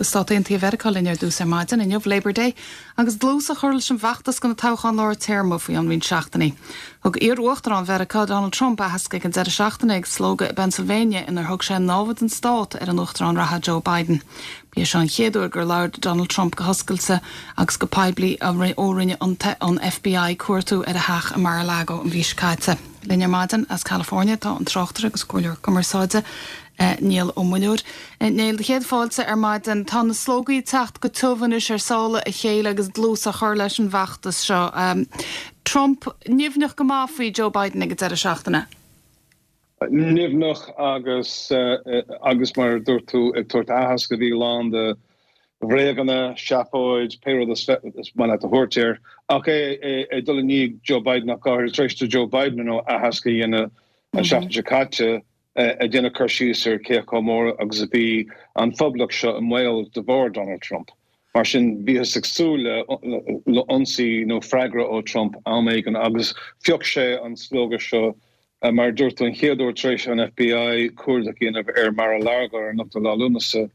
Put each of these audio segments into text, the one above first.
Go Stáit Aontaithe Mheiriceá linn ar dtús ar maidin inniu, Labor Day, agus dlús á chur leis an bhfeachtas do na toghcháin lár téarma faoi cheann roinnt seachtainí. Thug iar-uachtarán Mheiriceá, Donald Trump, aitheasc ag an deireadh seachtaine ag slógadh i bPennsylvania inar thug sé námhaid don stát ar an uachtarán reatha Joe Biden. Ba é seo an chéad uair gur labhair Donald Trump go hoscailte agus go poiblí ó rinne an FBI cuartú ar a theach i Mar-a-Lago an mhí seo caite. Linn ar maidin as California tá an tráchtaire agus comhairleoir cumarsáide, Niall Ó Muilleoir. Néill, do chéad fáilte ar maidin. Tá na slógaí ag teacht go tiubh anois ar sála a chéile agus dlús á chur leis an bhfeachtas seo. Trump nimhneach go maith faoi Joe Biden ag an deireadh seachtaine. Nimhneach agus, agus mar a dúirt tú, ag tabhairt aitheasc a bhí lán de bhréaganna, seafóid, pé rud is maith leat a thabhairt air, ach é ag dul i ndiaidh Joe Biden ach go háirithe tar éis do Joe Biden ar ndóigh aitheasc a dhéanamh an tseachtain seo caite ag déanamh cur síos ar cé chomh mór agus a bhí an phoblacht seo i mbaol de bharr Donald Trump. Mar sin, bhíothas ag súil le ionsaí nó freagra ó Trump am éigin agus phioc sé an slógadh seo, mar a dúirt tú, an chéad uair tar éis an FBI cuardach a dhéanamh ar Mar-a-Largo ar an 8ú lá Lúnasa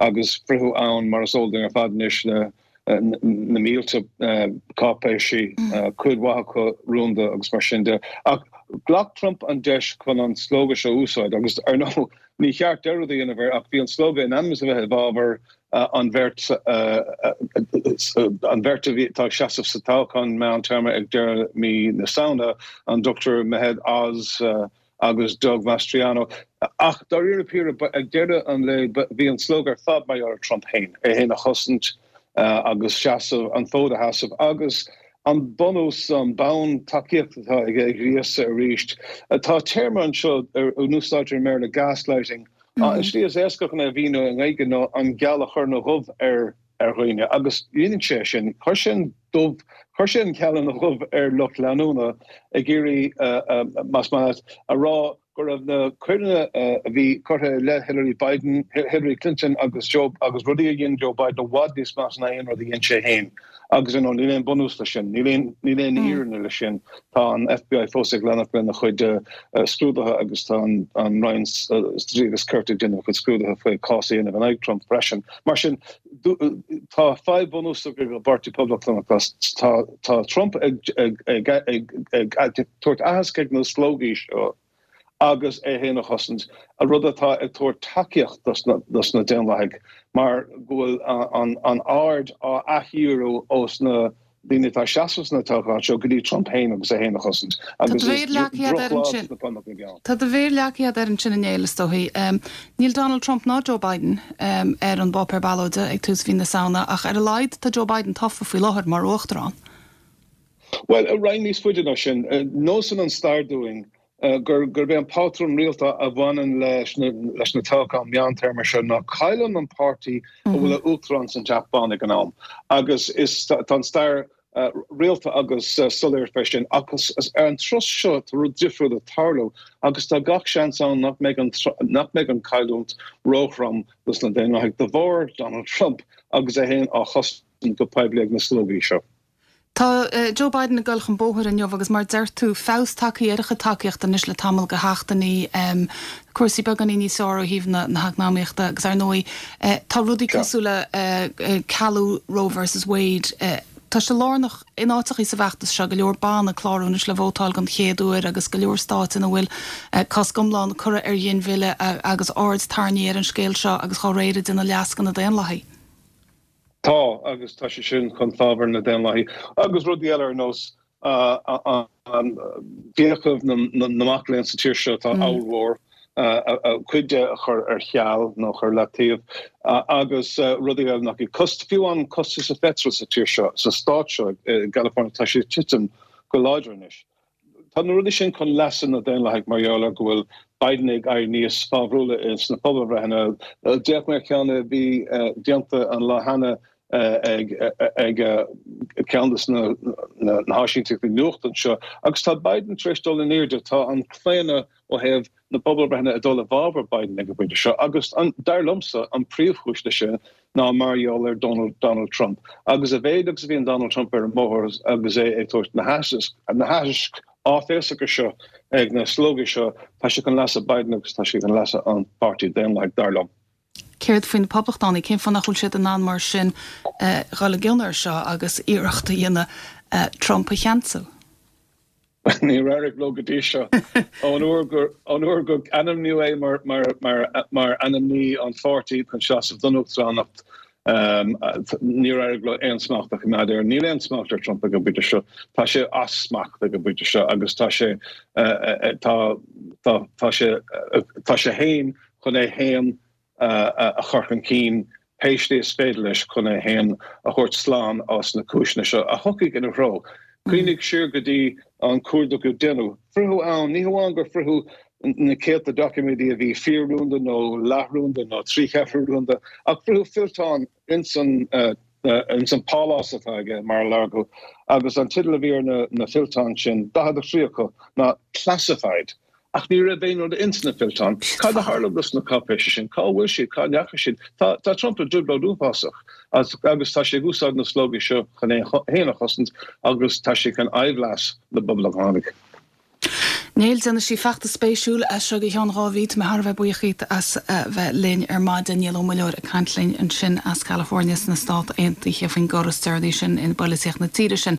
agus fritheadh ann, mar is eol dúinn ar fad anois, le na mílte cáipéisí, cuid mhaith acu rúnda agus mar sin de. Ach ghlac Trump an deis chun an slógadh seo a úsáid agus, ar ndóigh, ní cheart dearúd a dhéanamh air ach bhí an slógadh in ainm is a bheith i bhfabhar an bheirt an bheirt a bhí atá ag seasamh sa toghchán meántéarma ag deireadh mí na Samhna, an Dr Mehmet Oz agus Doug Mastriano. Ach dáiríre píre, ag deireadh an lae, bhí an slógadh ar fad mar gheall ar Trump féin, é féin a chosaint agus seasamh, an fód a sheasamh agus an bunús, an bonn tacaíochta atá aige a ghríosadh arís. Tá téarma anseo a n-úsáidtear i mBéarla, gaslighting. An tslí is éasca chun é a mhíniú i nGaeilge ná an geal a chur ina dhubh ar ar dhaoine agus dhein sé sin. Chuir sé an dubh, chuir sé an geal ina dhubh ar lucht leanúna ag iarraidh, más maith leat, a rá go raibh na coireanna a bhí curtha i leith Hillary Biden, Hillary Clinton agus Joe, agus rudaí a dhein Joe Biden i bhfad níos measa ná aon rud a dhein sé féin. Agus ar ndóigh níl aon bunús leis sin, níl aon, níl aon fhírinne leis sin. Tá an FBI fós ag leanacht lena chuid scrúduithe agus tá an, an Roinn Dlí agus Cirt ag déanamh a chuid scrúduithe faoi cás a dhéanamh in aghaidh Trump freisin. Mar sin, tá fadhb bhunúsach ag an bPáirtí Poblachtánach. Tá, tá Trump ag, ag, ag, ag, ag, ag tabhairt aitheasc ag na slógaí seo agus é féin a chosaint, rud atá ag tabhairt tacaíocht dos na Daonlathaigh mar go bhfuil an aird á athdhíriú ós na daoine atá ag seasamh sna toghcháin seo go dtí Trump féin agus é féin a chosaint agus is drochlá dos na Poblachtánaigh ann. Tá do mhéar leagtha agat air ansin a Néill, is dóichí. Níl Donald Trump ná Joe Biden ar an bpáipéar ballóide ag tús mhí na Samhna ach ar a laghad tá Joe Biden tofa faoi láthair mar uachtarán. Bhuel, roinnt níos faide ná sin, nósann an stair dúinn gurb é an pátrún rialta a bhaineann leis leis na toghcháin meántéarma seo ná cailleann an páirtí a bhfuil a uachtarán san Teach Bán ag an am agus is tá an stair rialta agus soiléir fé sin. Ach ar an turas seo tá rud difriúil ag tarlú agus tá gach seans ann nach mbeidh an nach mbeidh an chailliúint róthrom dos na Daonlathaigh de bharr Donald Trump agus é féin á chosaint go poiblí ag na slógaí seo. Tá Joe Biden ag dul chun bóthair inniu agus mar deir tú, feabhas tagtha ar a chuid tacaíochta anois le tamall de sheachtainí, cúrsaí beagáinín níos fearr ó thaobh na heacnamaíochta agus ar ndóigh tá rudaí cosúil le cealú Roe versus Wade, tá sé lárnach in áiteachaí sa bhfeachtas seo, go leor ban ag clárú anois le vótáil don chéad uair agus go leor stáit ina bhfuil cosc iomlán curtha ar ghinmhilleadh agus aird tarraingthe ar an scéal seo agus dá réir ag déanamh leas do na Daonlathaigh. Tá, agus tá sé sin chun fabhair na Daonlathaigh. Agus rudaí eile ar nós fiacha na mac léinn sa tír seo atá ollmhór, cuid de a chur ar ceal nó a chur leataobh, agus rudaí eile nach iad. Fiú an costas an pheitril sa tír seo, sa stát seo i gCalifornia, tá sé ag titim go láidir anois. Tá na rudaí sin chun leasa na Daonlathaigh mar gheall ar go bhfuil Biden ag éirí níos fabhrúla sna pobalbhreitheanna. D'fhéach mé ar cheann a bhí déanta an lá cheana ag ceann de na háisínteachtaí nuachta anseo agus tá Biden tar éis dul in airde. Tá an claonadh ó thaobh na pobalbhreitheanna ag dul i bhfabhar Biden ag an bpointe seo agus, dar liomsa, an príomhchúis leis sin ná mar gheall ar Donald Trump. Agus a mhéid agus a bhíonn Donald Trump ar an mbóthar agus é ag tabhairt na haithisc áiféiseacha seo ag na slógaí seo, tá sé chun leasa Biden agus tá sé chun leasa an Pháirtí Daonlathaigh, dar liom. Céard faoi na Poblachtánaigh? Cén fáth nach bhfuil siad in ann mar sin dhul i gcion air seo agus iarracht a dhéanamh Trump a cheansú? Níor éirigh leo go dtí seo. Ón uair gur ón uair gur ainmníodh é mar mar mar mar ainmní an pháirtí chun seasamh don uachtaránacht, níor éirigh leo aon smacht a choimeád air. Níl aon smacht ar Trump ag an bpointe seo. Tá sé as smacht ag an bpointe seo agus tá sé tá tá tá sé tá sé féin chun é féin a chur chun cinn pé slí is féidir leis chun é féin a thabhairt slán as na cúiseanna seo a thiocfaidh ina threo. Cuimhnigh siar go dtí an cuardach a déanadh. Fritheadh ann, ní hamháin gur fritheadh na céadta doiciméidí a bhí fíor-rúnda nó leathrúnda nó trí cheathrú rúnda, ach fritheadh fillteán ins an ins an pálás atá aige, Mar-a-Lago, agus an teideal a bhí ar na fillteáin sin, 43 acu, ná Classified. Ach ní raibh aon rud ins na fillteáin. Cad a tharla dos na cáipéisí sin? Cá bhfuil siad? Cá ndeachaigh siad? Tá tá Trump i dtrioblóid uafásach agus tá sé ag úsáid na slógaí seo chun é féin a chosaint agus tá sé chun aimhleas na bPoblachtánach. Néill, déanfaidh sí feachtas spéisiúil as seo go ceann 2 mhí. Tá mé thar a bheith buíoch dhíot as bheith linn ar maidin. Niall Ó Muilleoir ag caint linn ansin as California sna Stát Aontaithe faoin gcor is deireanaí sin i bpolaitíocht na tíre sin.